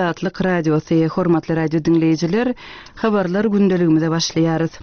Azatlyk Radiosy, Hormatly radio diňleýjiler, habarlar gündeligimize başlaýarys.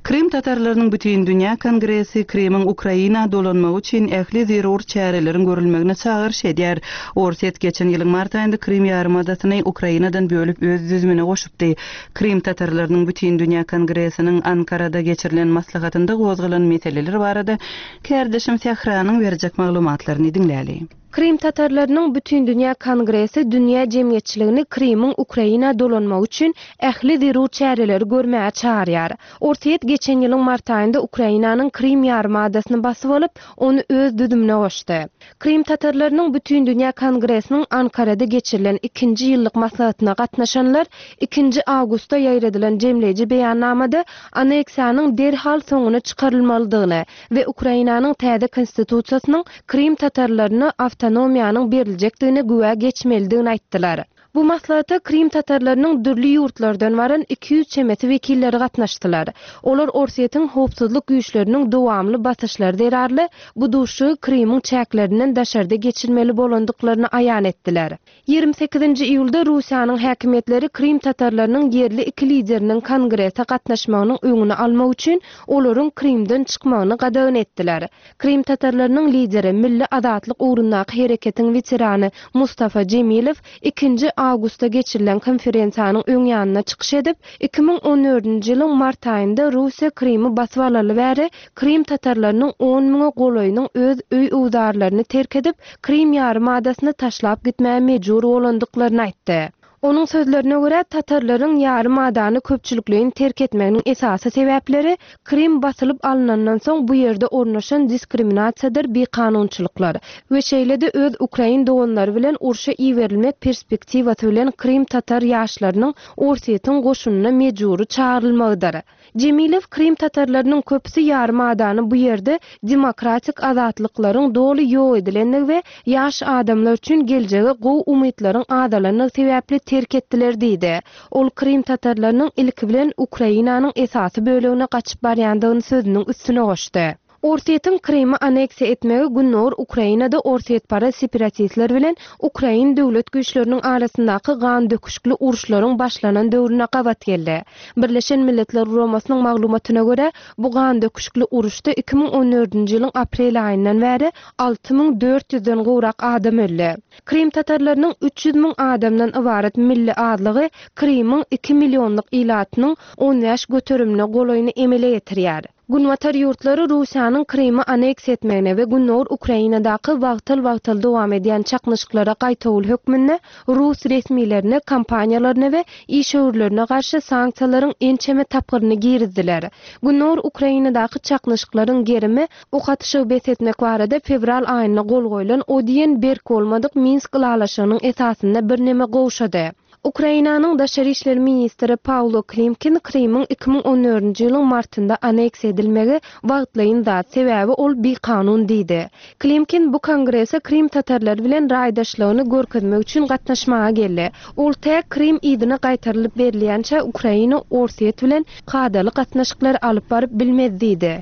Krym tatarlarynyň Bütindünýä kongresi Krymyň Ukraina dolanmagy üçin ähli zerur çäreleriň görülmegine çagyryş edýär. Orsýet geçen ýylyň mart aýynda Krym ýarymadasyny Ukrainadan bölüp öz düzümine goşupdy. Krym tatarlarynyň Bütindünýä kongresiniň Ankarada geçirilen maslahatynda gozgalan meseleler barada kärdeşim Sähranyň berjek maglumatlaryny diňläli. Krym tatarlarynyň Bütindünýä kongresi dünýä jemgyýetçiligini Krymyň Ukraina dolanmagy üçin ähli zerur çäreleri görmäge çagyrýar. Orsýet geçen ýylyň mart aýynda Ukrainanyň Krym ýarymadasyny basyp alyp, ony öz düzümine goşdy. Krym tatarlarynyň Bütindünýä kongresiniň Ankarada geçirilen ikinji ýyllyk maslahatyna gatnaşanlar ikinji awgustda ýaýradylan jemleýji beýannamada anneksiýanyň derhal soňuna çykarylmalydygyny we Ukrainanyň täze Konstitusiýasynyň Krym tatarlaryna awtonomiýanyň beriljekdigine güwä geçmelidigini aýtdylar. Bu maslahata krym tatarlarynyň dürli ýurtlardan baran 200 çemesi wekilleri gatnaşdylar. Olar Orsýetiň howpsuzlyk güýçleriniň dowamly basyşlary zerarly bu duşuşygy Krymyň çäklerinden daşarda geçirmeli bolandyklaryny aýan etdiler. 28-nji iýulda Russiýanyň häkimiýetleri krym tatarlarynyň ýerli iki lideriniň kongrese gatnaşmagynyň öňüni almak üçin olaryň Krymdan çykmagyny gadagan etdiler. Krym tatarlarynyň lideri, milli azatlyk ugrundaky hereketiň weterany Mustafa Jemilew ikinji awgustda geçirilen konferensiýanyň öň ýanynda çykyş edip, 2014-nji ýylyň mart aýynda Russiýa Krymy basyp alaly bäri krym tatarlarynyň on müňe golaýynyň öz öý-öwzarlaryny terk edip, Krym ýarymadasyny taşlap gitmäge mejbur bolandyklaryny aýtdy. Onuň sözlerine görä, tatarlaryň ýarymadany köpçülikleýin terk etmeginiň esasy sebäpleri Krym basylyp alnandan soň bu ýerde ornaşan diskriminasiýadyr bikanunçylyklar we şeýle-de öz ukrain doganlary bilen urşa iberilmek perspektiwasy bilen krym tatar ýaşlarynyň Orsýetiň goşunyna mejbury çagyrylmagydyr. Jemilew krym tatarlarynyň köpüsi ýarym adany bu ýerde demokratik azatlyklaryň doly ýok edilendigi we ýaş adamlar üçin geljege gowy umytlaryň azalandygy sebäpli terk etdiler diýdi. Ol krym tatarlarynyň ilki bilen Ukrainanyň esasy bölegine gaçyp barýandygyny sözüniň üstüne goşdy. Orsýetiň Krymy anneksiýa etmegi Gündogar Ukrainada orsýetparaz separatistler bilen ukrain döwlet güýçleriniň arasyndaky gandöküşikli uruşlaryň başlanan döwrüne gabat geldi. Birleşen Milletler Guramasynyň maglumatyna görä, bu gandöküşikli uruşda 2014-nji ýylyň aprel aýyndan bäri 6400 den gowrak adam öldi. Krym tatarlarynyň 300 müň adamdan ybarat milli azlygy Krymyň iki millionlyk ilatynyň 15 göterimine golaýyny emele getirýär. Günbatar ýurtlary Russiýanyň Krymy anneksiýa etmegine we gündogar Ukrainadaky wagtal-wagtal dowam edýän çaknyşyklara gaýtawul hökmünde rus resmilerine, kompaniýalaryna we işewürlerine garşy sanksiýalaryň ençeme tapgyryny girizdiler. Gündogar Ukrainadaky çaknyşyklaryň gerimi ok atyşygy bes etmek barada fewral aýynda gol goýlan o diýen berk bolmadyk Minsk ylalaşygynyň esasynda birneme gowşady. Ukrainanyň daşary işler ministri Pawlo Klimkin Krymyň 2014-nji ýylyň martynda anneksiýa edilmegi wagtlaýyn zat, sebäbi ol bikanun diýdi. Klimkin bu kongrese krym tatarlary bilen raýdaşlygyny görkezmek üçin gatnaşmaga geldi. Ol tä Krym yzyna gaýtarylyp berilýänçä Ukraina Orsýet bilen kadaly gatnaşyklary alyp baryp bilmez diýdi.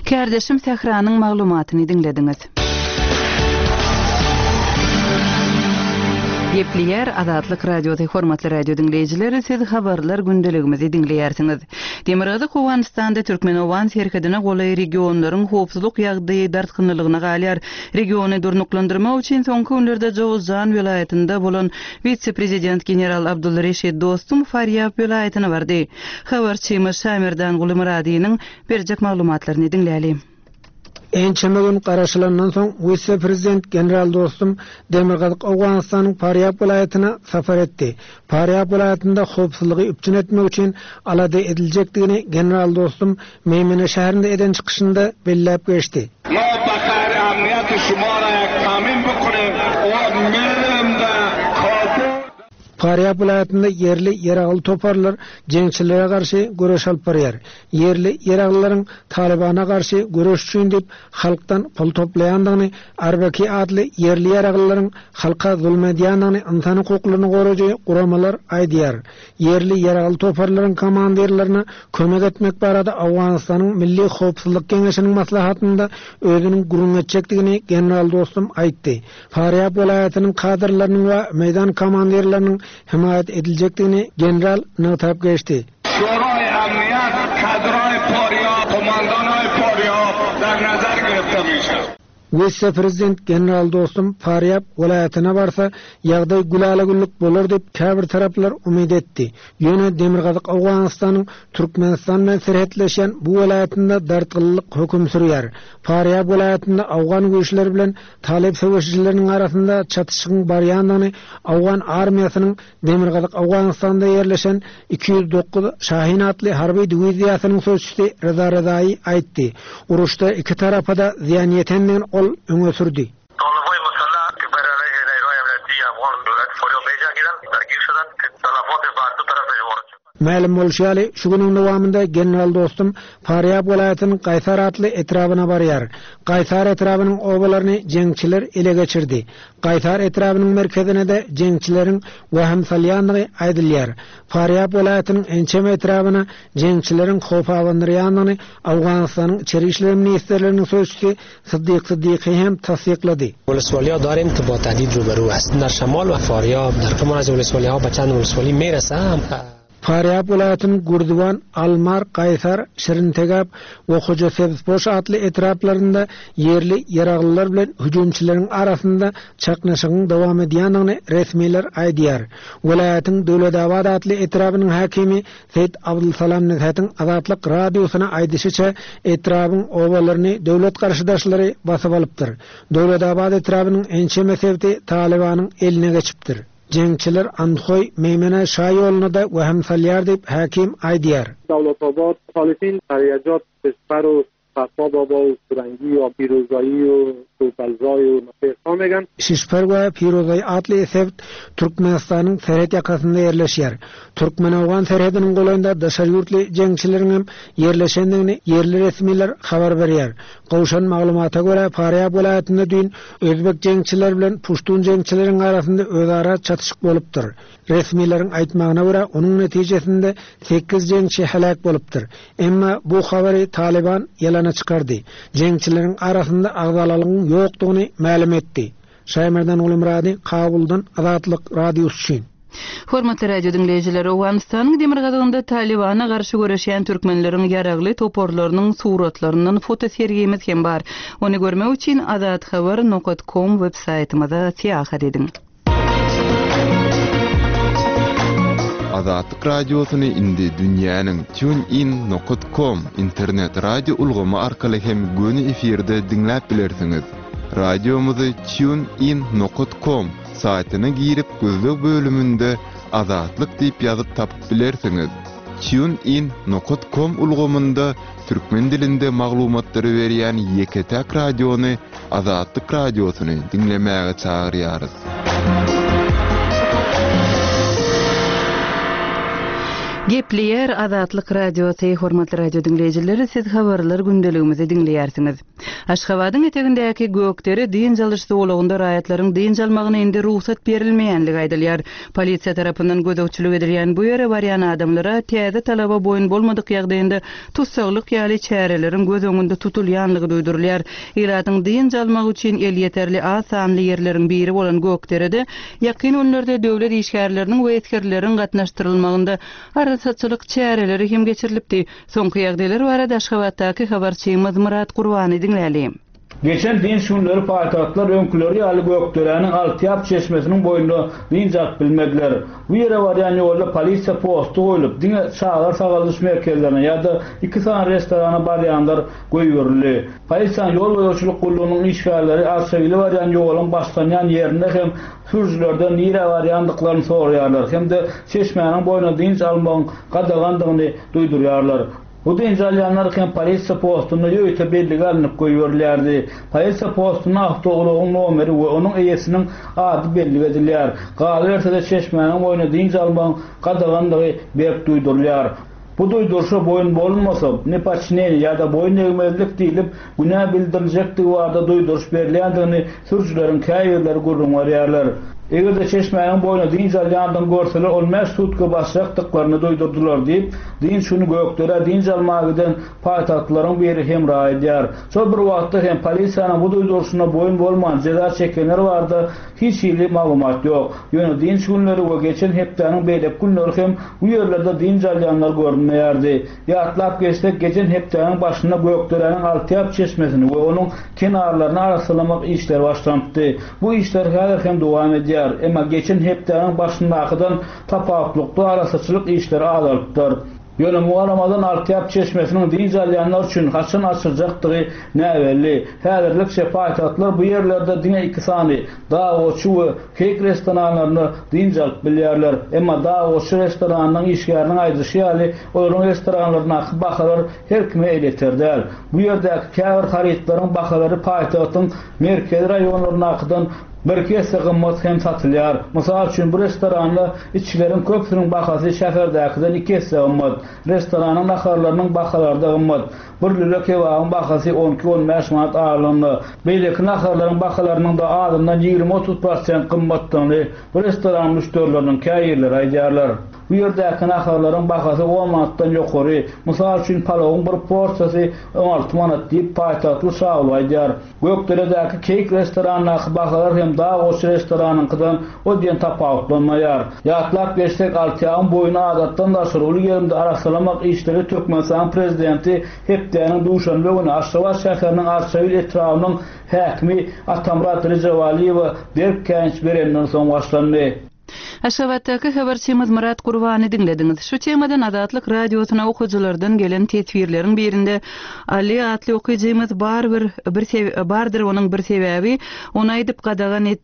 Kärdeşim Sähranyň maglumatyny diňlediňiz. Gepleýär Azatlyk Radiosy Hormatly radio diňleýjiler, siz habarlar gündeligimizi diňleýärsiňiz. Demirgazyk Owganystanda türkmen-owgan serhedine golaý regionlaryň howpsuzlyk ýagdaýy dartgynlylygyna galýar. Regiony durnuklandyrmak üçin soňky günlerde Jowuzjan welaýatynda bolan wise-prezident general Abdul Reşid Dostum Farýab welaýatyna bardy. Habarçymyz Şamerdanguly Myradynyň Berjek maglumatlaryny diňläli. Ençeme gün garaşylandan soň, wise-prezident general Dostum Demirgazyk Owganystanyň Farýab welaýatyna sapar etdi. Farýab welaýatynda howpsuzlygy üpjün etmek üçin alada ediljekdigini general Dostum Meýmene şäherinde eden çykyşynda belläp geçdi. Farýab welaýatynda ýerli ýaragly toparlar jeňçilere garşy göreş alyp barýar. Ýerli ýaraglylaryň Talybana garşy göreş üçin diýip halkdan pul toplaýandygyny, Arbaki atly ýerli ýaraglylaryň halka zulum edýändigini ynsan hukuklaryny goraýjy guramalar aýdýar. Ýerli ýaragly toparlaryň komandirlerine kömek etmek barada Owganystanyň Milli howpsuzlyk geňeşiniň maslahatynda özüniň gürrüň etjekdigini general Dostum aýtdy. Farýab welaýatynyň kadrlarynyň we meýdan komandirleriniň. hemaýat ediljekdigini general nygtap geçdi. Şuraý Amniýat kadraý Porýab, komandanaý Porýab dar nazar girifte mişa. Wise-prezident general Dostum Farýab welaýatyna barsa, ýagdaý gülala-güllük bolar diýip käbir taraplar umyt etdi. Ýöne demirgazyk Owganystanyň Türkmenistan bilen serhetleşýän bu welaýatynda dartgynlylyk höküm sürýär. Farýab welaýatynda owgan güýçleri bilen talyp söweşijileriniň arasynda çatyşygyň barýandygyny owgan armiýasynyň Demirgazyk Owganystanda ýerleşen 209 Şahin atly harby diwiziýasynyň sözçüsi Reza Rezaýy aýtdy. Uruşda iki tarapa-da zyýan ýetendigini ol öňe sürdi. Mälim bolşy ýaly, şu günüň dowamynda general Dostum Farýab welaýatynyň Gaýsar atly etrabyna barýar. Gaýsar etrabynyň obalaryny jeňçiler ele geçirdi. Gaýsar etrabynyň merkezine-de jeňçileriň wehim salýandygy aýdylýar. Farýab welaýatynyň ençeme etrabyna jeňçileriň howp abandyrýandygyny Owganystanyň Içeri işler ministrliginiň sözçüsi Syddyk Syddyky hem tassyklady. ولسوالیا داریم که با تهدید روبرو است در شمال و فاریاب در کمان از ولسوالی ها به چند ولسوالی میرسه. Farýab welaýatynyň Gürziwan, Almar, Gaýsar, Şirintegap we Hojasebzpoş atly etraplarynda ýerli ýaraglylar bilen hüjümçileriň arasynda çaknyşygyň dowam edýändigini resmiler aýdýar. Welaýatyň Döwletabat atly etrabynyň häkimi Seýit Abdulsalam Nezhetiň Azatlyk Radiosyna aýdyşyça, etrabyň obalaryny döwlet garşydaşlary basyp alypdyr. Döwletabat etrabynyň ençeme sebiti Talybanyň eline geçipdir. Jeňçiler Andhoý, Meýmene şa ýoluna-da wehim salýar diýip, häkim aýdýar. Dawlatabat, Muhalifin Garyajat, Şişper û Fatma Baba û Surengî û Pîrozayî û Topelzay û Pêrsa megan. Şişper we Pirozaý atly sebit Türkmenistanyň serhet ýakasynda ýerleşýär. Türkmen-owgan serhediniň golaýynda daşary ýurtly jeňçileriňem ýerleşendigini ýerli resmiler habar berýär. Gowşan maglumata görä, Farýab welaýatynda düýn özbek jeňçileri bilen puştun jeňçileriň arasynda özara çatyşyk bolupdyr. Resmileriň aýtmagyna görä, onuň netijesinde sekiz jeňçi heläk bolupdyr. Emma bu habary Talyban ýalana çykardy. Jeňçileriň arasynda agzalalygyň ýokdugyny mälim etdi. Şaýmerdan Gulumyrady, Kabuldan, Azatlyk Radiosy üçin. Hormatly radio diňleýjiler, Owganystanyň demirgazygynda Talybana garşy göreşýän türkmenleriň ýaragly toparlarynyň suratlaryndan fotosergimiz hem bar. Ony görmek üçin azathabar nokat kom web saýtymyza syýahat ediň. Azatlyk Radiosyny indi dünýäniň TuneIn nokat kom internet radio ulgamy arkaly hem göni efirde diňläp bilersiňiz. Radiomyzy TuneIn nokat kom saýtyna girip gözleg bölüminde Azatlyk diýip ýazyp tapyp bilersiňiz. TuneIn nokat kom ulgamynda türkmen dilinde maglumatlary berýän ýeke-täk radiony Azatlyk Radiosyny diňlemäge çagyrýarys. Gepleýär Azatlyk Radiosy, hormatly radio diňleýjiler, siz habarlar gündeligimizi diňleýärsiňiz. Aşgabadyň etegindäki Gökdere dynç alyş zolagynda raýatlaryň dynç almagyna indi rugsat berilmeýänligi aýdylýar. Polisiýa tarapyndan gözegçilik edilýän bu ýere barýan adamlara täze talaba boýun bolmadyk ýagdaýynda tussaglyk ýaly çäreleriň göz öňünde tutulýanlygy duýdurylýar. Ilatyň dynç almagy üçin elýeterli az sanly ýerleriň biri bolan Gökderede ýakyn günlerde döwlet işgärleriniň we esgerleriň gatnaşdyrylmagynda arassaçylyk çäreleri hem geçirilipdi. Soňky ýagdaýlar barada Aşgabatdaky habarçymyz Myrat Gurbany diňläli. Geçen dynç günleri paýtagtlylar öňküleri ýaly Gökderäniň Altyýap çeşmesiniň boýunda dynç alyp bilmediler. Bu ýere barýan ýolda polisiýa posty goýlup, diňe çagalar sagaldyş merkezlerine ýa-da iki sany restorana barýanlar goýberildi. Polisiýanyň ýol gözegçilik gullugynyň işgärleri Arçabile barýan ýoluň başlanýan ýerinde hem sürüjilerden nirä barýandyklaryny soraýarlar hem-de çeşmäniň boýunda dynç almagyň gadagandygyny duýdurýarlar. Bu dynç alýanlar hem polisiýa postunda ýörite bellige alnyp goýberilýärdi. Polisiýa postunda awtoulagyň nomeri we onuň eýesiniň ady bellik edilýär. Galyberse-de çeşmäniň boýunda dynç almagyň gadagandygy berk duýdurylýar. Bu duýduryşa boýun bolunmasa, nepoçineniýe ýa-da boýun egmezlik diýlip, günä bildiriljekdigi barada duýduryş berilýändigini sürüjileriň käbirleri gürrüň berýärler. Eger-de çeşmäniň boýunda dynç alýandygyny görseler, on bäş sutka basjakdyklaryny duýdurdylar diýip, dynç güni Gökderä dynç almaga giden paýtagtlylaryň biri Hemra aýdýar. Şol bir wagtda hem polisiýanyň bu duýduryşyna boýun bolman jeza çekenler barada hiç hili maglumat ýok. Ýöne dynç günleri we geçen hepdäniň beýleki günleri hem bu ýerlerde dynç alýanlar görünmeýärdi. Ýatlap geçsek, geçen hepdäniň başynda Gökderäniň Altyýap çeşmesini we onuň kenarlaryny arassalamak işleri başlanypdy. Bu işler häzir hem dowam edýär. Emma geçen hepdäniň başyndakydan tapawutlykda arassaçylyk işleri azalypdyr. Ýöne muňa garamazdan Altyýap çeşmesiniň dynç alýanlar üçin haçan açyljakdygy näbelli. Häzirlikçe paýtagtlylar bu ýerlerde diňe iki sany, Dag goçy we Keýik restoranlarynda dynç alyp bilýärler. Emma Dag goçy restoranynyň işgäriniň aýdyşy ýaly, olaryň restoranlaryndaky bahalar her kime elýeter däl. Bu ýerdäki käbir harytlaryň bahalary paýtagtyň merkezi raýonlaryndakydan birki esse gymmat hem satylýar. Mysal üçin, bu restoranda içgileriň köpüsiniň bahasy şäherdäkiden iki esse gymmat. Restoranyň naharlarynyň bahalary-da gymmat. Bir lüle kebabyň bahasy on iki-on bäş manat aralygynda. Beýleki naharlaryň bahalarynyň-da azyndan 20-30 prosent gymmatdygyny bu restoranyň müşderileriniň käbirleri aýdýarlar. Bu ýerdäki naharlaryň bahasy on manatdan ýokary. Mysal üçin, palawyň bir porsiýasy 16 manat diýip, paýtagtly Şaguly aýdýar. Gökderedäki Keýik restorandaky bahalar hem Dag goçy restoranyňkydan o diýen tapawutlanmaýar. Ýatlap geçsek, Altyýagyň boýuny adatdan daşary uly gerimde arassalamak işleri Türkmenistanyň Prezidenti hepdäniň duşenbe güni Aşgabat şäheriniň Arçabil etrabynyň häkimi Atamyrat Rejebalyýewe berk käýinç berenden soň başlandy. Aşgabatdaky habarçymyz Myrat Gurbany diňlediňiz. Şu temadan Azatlyk Radiosyna okyjylardan gelen teswirleriň birinde Ali atly okyjymyz bar bir bir bardyr onuň bir sebäbi, ony aýdyp gadagan et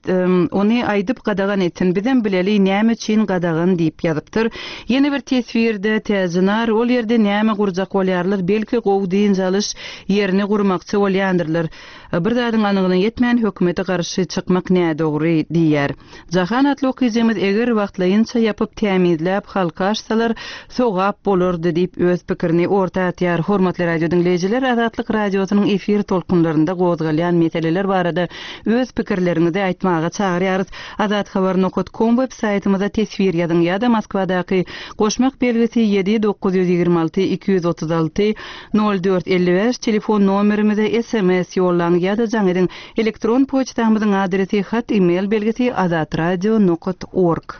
ony aýdyp gadagan etsin bizem bileli näme üçin gadagan diýip ýazypdyr. Ýene bir teswirde Täjinar ol ýerde näme gurjak bolýarlar belki gowy dynç alyş ýerini gurmakçy bolýandyrlar. Bir zadyň anygyna ýetmän hökümete garşy çykmak nädogry diýýär. Jahan atly okyjymyz eger wagtlaýynça ýapyp tämizläp halka açsalar sogap bolardy diýip öz pikirini orta atýar. Hormatly radio diňleýjiler Azatlyk radiosynyň efir tolkunlarynda gozgalýan meseleler barada öz pikirleriňizi aýtmaga çagyrýarys. Azathabar nokat kom web saýtymyza teswir ýazyň ýa-da Moskwadaky goşmak belgisi ýedi 926 236 04 55 telefon nomerimize sms ýollaň ýa-da jaň ediň. Elektron poçtamyzyň adresi hat email belgisi azatradio nokat org.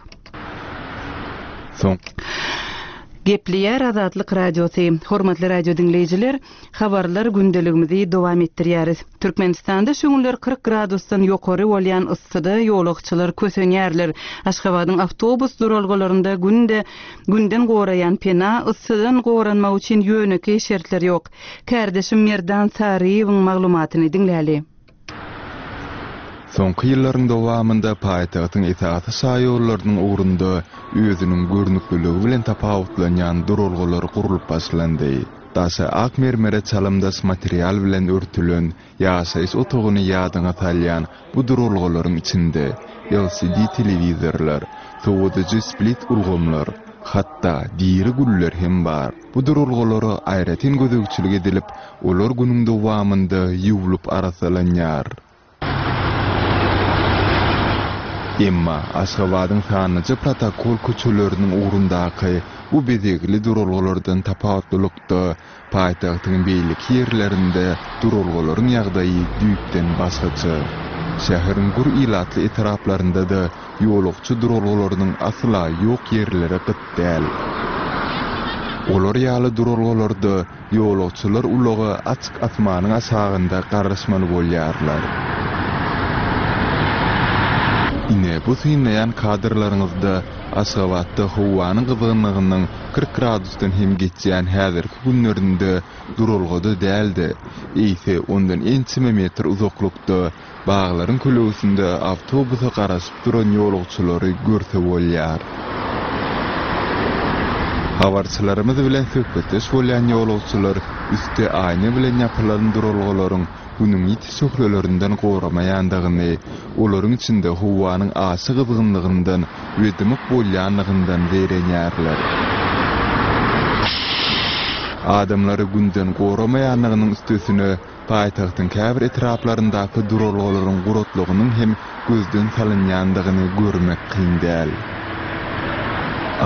Soň. Gepleýär Azatlyk Radiosy. Hormatly radio diňleýjiler, habarlar gündeligimizi dowam etdirýäris. Türkmenistanda şu günler 40 gradusdan ýokary bolýan yssyda ýolagçylar kösenýärler. Aşgabadyň awtobus duralgalarynda günde günden goraýan pena, yssydan goranmak üçin ýönekeý şertler ýok. Kärdeşim Merdan Saryýewiň maglumatyny diňläli. Soňky ýyllaryň dowamynda paýtagtyň esasy şaýollarynyň ugrunda özüniň görnükliligi bilen tapawutlanýan duralgalar gurlup başlandy. Daşy ak mermere çalymdaş material bilen örtülen, ýaşaýyş otagyny ýadyňa salýan bu duralgalaryň içinde LCD telewizorlar, sowadyjy split ulgamlar, hatda diri güller hem bar. Bu duralgalara aýratyn gözegçilik edilip, olar günüň dowamynda ýuwlup arassalanýar. Emma Aşgabadyň sanlyja protokol köçeleriniň ugrundaky bu bezegli duralgalardan tapawutlylykda, paýtagtyň beýleki ýerlerinde duralgalaryň ýagdaýy düýpden başgaça. Şäheriň gür ilatly etraplarynda-da ýolagçy duralgalarynyň asla ýok ýerleri gyt däl. Olar ýaly duralgalarda ýolagçylar ulaga açyk asmanyň aşagynda garaşmaly bolýarlar. Ine, bu synlaýan kadrlaryňyzda Aşgabatda howanyň gyzgynlygynyň 40 gradusdan hem geçýän häzirki günlerinde duralgada däl-de, eýse ondan ençeme metr uzaklykda Baglaryň kölegesinde awtobusa garaşyp duran ýolagçylary görse bolýar. Habarçylarymyz bilen söhbetdeş bolýan ýolagçylar üsti aýna bilen ýapylan duralgalaryň Günüň ýiti şöhlelerinden goramaýandygyny, olaryň içinde howanyň aşa gyzgynlygyndan we dymyk bolýanlygyndan zeýrenýärler. Adamlary Günden goramaýanlygynyň üstesine, paýtagtyň käbir etraplaryndaky duralgalaryň guratlygynyň hem gözden salynýandygyny görmek kyn däl.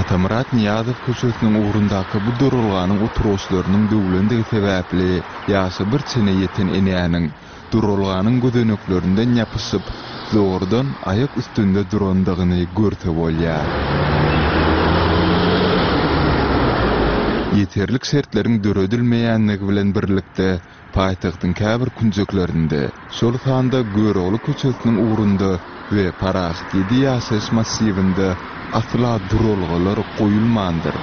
Atamyrat Nyýazow köçesiniň ugrundaky bu duralganyň oturgyçlarynyň döwlendigi sebäpli ýaşy bir çene ýeten enäniň duralganyň gözeneklerinden ýapyşyp, zordan aýak üstünde durandygyny görse bolýar. Ýeterlik şertleriň döredilmeýänligi bilen birlikde, paýtagtyň käbir künjeklerinde, şol sanda Görogly köçesiniň ugrunda we Parahat ýedi ýaşaýyş massiwinde asla duralgalar goýulmandyr.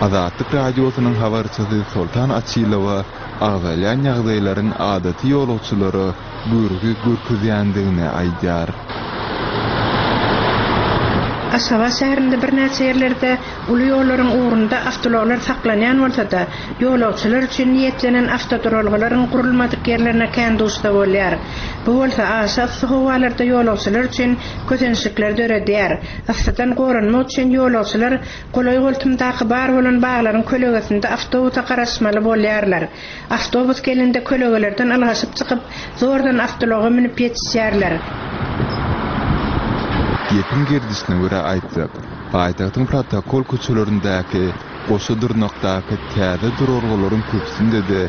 Azatlyk Radiosynyň habarçysy Soltan Açylowa agzalýan ýagdaýlaryň adaty ýolagçylara görgi görkezýändigini aýdýar. Aşgabat şäherinde birnäçe ýerlerde uly ýollaryň ugrunda awtoulaglar saklanýan bolsa-da, ýolagçylar üçin niýetlenen awtoduralgalaryň gurulmadyk ýerlerine kän duşsa bolýar. Bu bolsa aşa yssy howalarda ýolagçylar üçin kösençlikleri döredýär. Yssydan goranmak üçin ýolagçylar golaý-goltumdaky bar bolan baglaryň kölegesinde awtobusa garaşmaly bolýarlar. Awtobus gelende kölegelerden ylgaşyp çykyp, zordan awtoulaga münüp ýetişýärler. Gepiň gerdişine görä aýtsak, paýtagtyň protokol köçelerindäki, goşa dyrnakdaky täze duralgalaryň köpüsinde-de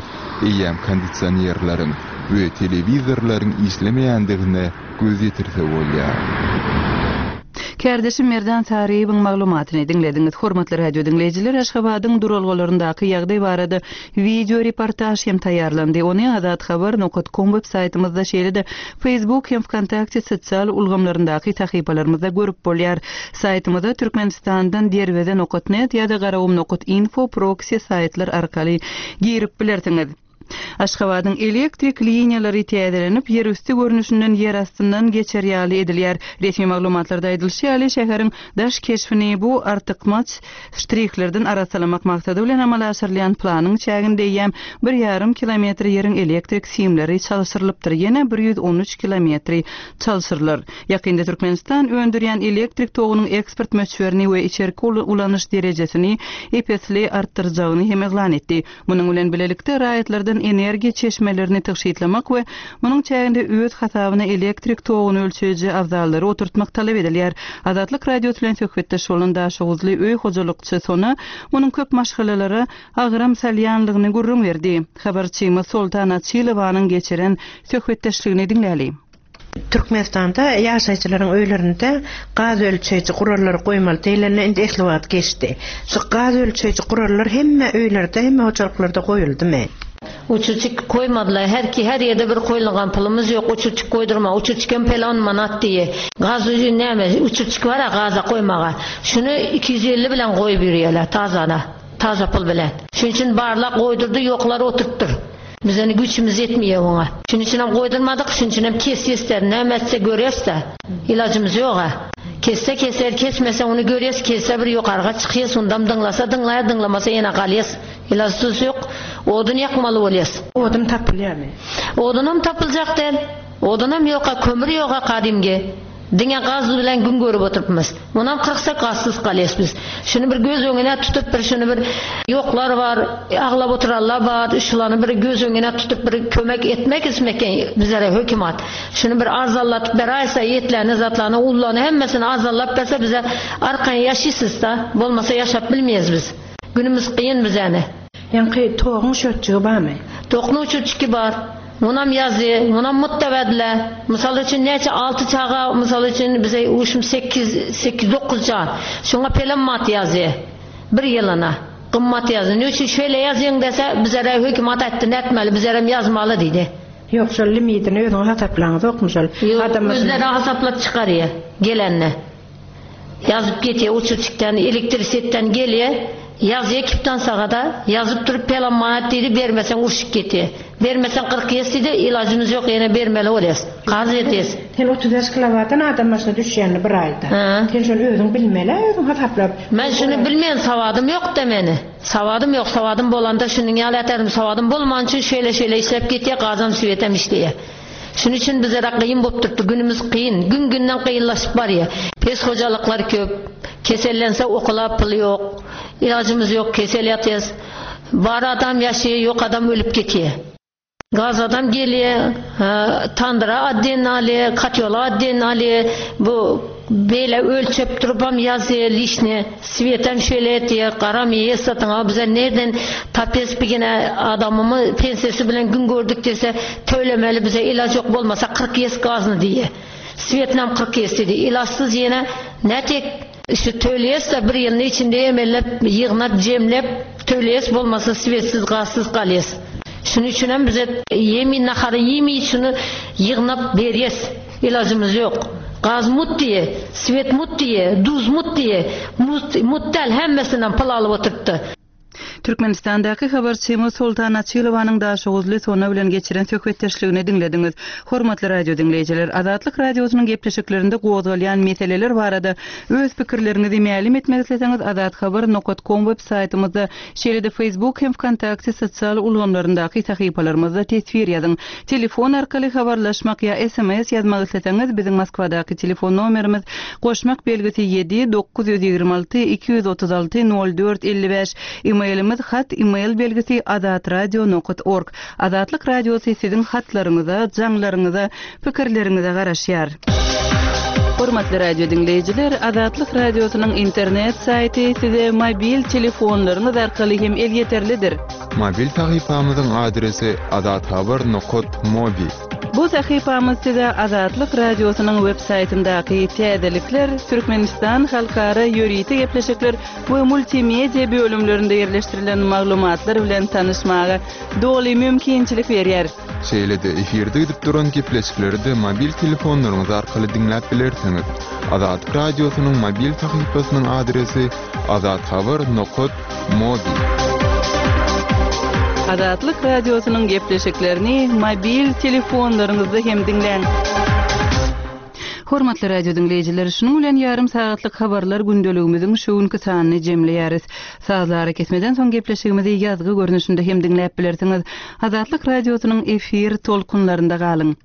eýýäm kondisionerleriň we telewizorlaryň işlemeýändigine göz ýetirse bolýar. Kärdeşim Merdan Saryýewiň maglumatyny diňlediňiz. Hormatly radio diňleýjiler, Aşgabadyň duralgalaryndaky ýagdaý barada wideo reportaž hem taýýarlandy. Ony Azathabar nokat kom web saýtymyzda, şeýle-de Facebook hem Wkontakte sosial ulgamlaryndaky sahypalarymyzda görüp bolýar. Saýtymyza Türkmenistandan Derweze nokat net ýa-da Garagum nokat info proksi saýtlar arkaly girip bilersiňiz. Aşgabadyň elektrik liniýalary täzelenip, ýerüsti görnüşinden ýerastyndan geçer ýaly edilýär. Resmi maglumatlarda aýdylyşy ýaly, şäheriň daş keşbini bu artykmaç ştrihlerden arassalamak maksady bilen amala aşyrylýan planyň çäginde eýýäm bir ýarym kilometr ýeriň elektrik simleri çalşyrylypdyr, ýene 113 kilometri çalşyrylar. Ýakynda Türkmenistan öndürýän elektrik togunyň eksport möçberini we içerki ulanyş derejesini ep-esli artdyrjagyny hem yglan etdi. Munuň bilen bilelikde, raýatlardan energiýa çeşmelerini tygşytlamak we munuň çäginde öz hasabyna elektrik toguny ölçeýji abzallary oturtmak talap edilýär. Azatlyk Radiosy bilen söhbetdeş bolan daşoguzly öý hojalykçy Sona munuň köp maşgalalara agram salýanlygyny gürrüň berdi. Habarçymyz Soltan Açylowanyň geçiren söhbetdeşligini diňläli. Türkmenistanda ýaşaýjylaryň öýlerinde gaz ölçeýji gurallary goýmaly diýlende indi esli wagt geçdi. Şu gaz ölçeýji gurallar hemme öýlerde, hemme hojalyklarda goýuldymy? Uçuçik koýmadylar. Her ki her ýerde bir koýulgan pulumyz ýok uçuçik koýdurma. Uçuçikem pelon manat diýe. Gaz näme uçuçik bara gaza koýmaga. Şuny 250 bilen goýup ýürýärler tazana. Taza pul bilen. Şunuň üçin barlak goýdurdy ýoklar oturypdyr. Bizeni güýçümiz ýetmeýär oňa. Şunuň üçinem goýdurmadyk, şunuň üçinem kesýäs-dä, näme etse görýäs-dä. Ilajymyz ýog-a. Kesse keser, kesmese ony görýäs, kesse bir ýokarga çykýas, ondam dyňlasa dyňlaýar, dyňlamasa ýene galýas. Ilajsyz ýok. Odun ýakmaly bolýas. Odun tapylýarmy? Odunam tapyljak däl. Odunam ýok-a, kömür ýog-a gadymgy. Diňe gaz bilen gün görüp oturypmyz. Munam kyrksak gazsyz galýas biz. Şuny bir göz öňüne tutup bir şuny bir ýoklar bar, aglap oturanlar bar, şulany bir göz öňüne tutup bir kömek etmek ismeken bizlere hökümat. Şuny bir arzanlatyp beraýsa etlerini zatlaryny ullaryny hemmesini arzanlap berse bize arkaýyn ýaşaýsysda, bolmasa ýaşap bilmeýäs biz. Günümiz kyn bizäni. Ýaňky toguň şötjügi barmy? Toknuň şötjügi bar. Munam ýazdy, munam mutda berdiler. Mysal üçin näçe alty çaga mysal üçin bize uşum sekiz, sekiz dokuz jan. Şoňa pelem mat ýazdy. Bir ýylyna. Gymmat ýazdy. Ne üçin şeýle ýazýaň dese, bizere hökümat aýtdy nätmeli, bizerem ýazmaly diýdi. Ýok, şol limidini özüňiz hasaplaňyzokmy şol? Ýok, özleri hasaplap çykarýar gelende. Ýazyp getýär uçurçykdan, elektrisetden gelýär, ýazýar kiptan sagada, ýazyp durup pelan manat diýdi, bermeseň urşup getýär. Bermeseň 40 ýes diýdi, ilajymyz ýok, ýene bermeli bolýas. Karz edýäs. Sen 35 kilowattdan adam başyna düşýänini bir aýda. Sen şony özüň bilmeli-ä, özüň hasaplap. Men şuny bilmeýän, sowadym ýok-da meni. Sowadym ýok, sowadym bolanda şunuň ýaly äterim, sowadym bolmany üçin şeýle-şeýle işläp getýär, gazam swetem işleýär. Şunuň üçin bizlere gyn bolup durupdy. Günümiz kyn. Gün-günden kynlaşyp barýar. Pes hojalyklar köp. Kesellense okula pul ýok. Ilajymyz ýok, kesel ýatýas. Bar adam ýaşaýar, ýok adam ölüp gitýär. Gaz adam gelýär, tandyra otdelno alýar, kotýola otdelno alýar. Bu beýle ölçep durubam ýazýar lişni. Swetem şeýle etýär, garam ýes satyn al, bize nerden tapýas bigine adamymy pensiýasy bilen gün gördük diýse, tölemeli bize ilaç ýok bolmasa 40 ýes gazyny diýýär. Swetnam 40 ýes diýdi. Ilaçsyz ýene nätek Şu töleýäs-de bir ýylyň içinde emellep, ýygnap, jemläp töleýäs, bolmasa swetsiz, gazsyz galýas. Şunuň üçinem bize ýemi, nahary iými şuny ýygnap berýäs. Ilajymyz ýok. Gaz mut diýe, swet mut diýe, duz mut diýe, mut, mut däl hemmesinden pul alyp oturypdy. Türkmenistandaky habarçymyz Soltan Açylowanyň daşoguzly Sona bilen geçiren söhbetdeşligini diňlediňiz. Hormatly radio diňleýjiler, Azatlyk Radiosynyň gepleşiklerinde gozgalýan meseleler barada öz pikirleriňizi mälim etmek isleseňiz azathabar nokat kom web saýtymyzda, şeýle-de Facebook hem Wkontakte sosial ulgamlaryndaky sahypalarymyzda teswir ýazyň. Telefon arkaly habarlaşmak ýa sms ýazmak isleseňiz biziň Moskwadaky telefon nomerimiz goşmak belgisi ýedi 926 236 04 55 Emailimiz hat email belgisi azatradio nokat org Azatlyk Radiosy siziň hatlaryňyza, jaňlaryňyza, pikirleriňize garaşýar. Hormatly radio diňleýjiler, Azatlyk Radiosynyň internet saýty size mobil telefonlaryňyz arkaly hem elýeterlidir. Mobil sahypamyzyň adresi azathabar nokat mobi. Bu sahypamyz size Azatlyk Radiosynyň web saýtyndaky täzelikler, Türkmenistan halkara ýörite gepleşikler we multimedia bölümlerinde ýerleşdirilen maglumatlar bilen tanyşmaga doly mümkinçilik berýär. Şeýle-de efirde gidip duran gepleşikleri-de mobil telefonlaryňyz arkaly diňläp bilersiňiz. Azatlyk Radiosynyň mobil sahypasynyň adresi azathabar nokat mobi. Azatlyk Radiosynyň gepleşiklerini mobil telefonlaryňyzda hem diňläň. Hormatly radio diňleýjiler, şunuň bilen ýarym sagatlyk habarlar gündeligimiziň şu günki sanyny jemleýäris. Sazly arakesmeden soň gepleşigimizi ýazgy görnüşinde hem diňläp bilersiňiz. Azatlyk Radiosynyň efir tolkunlarynda galyň.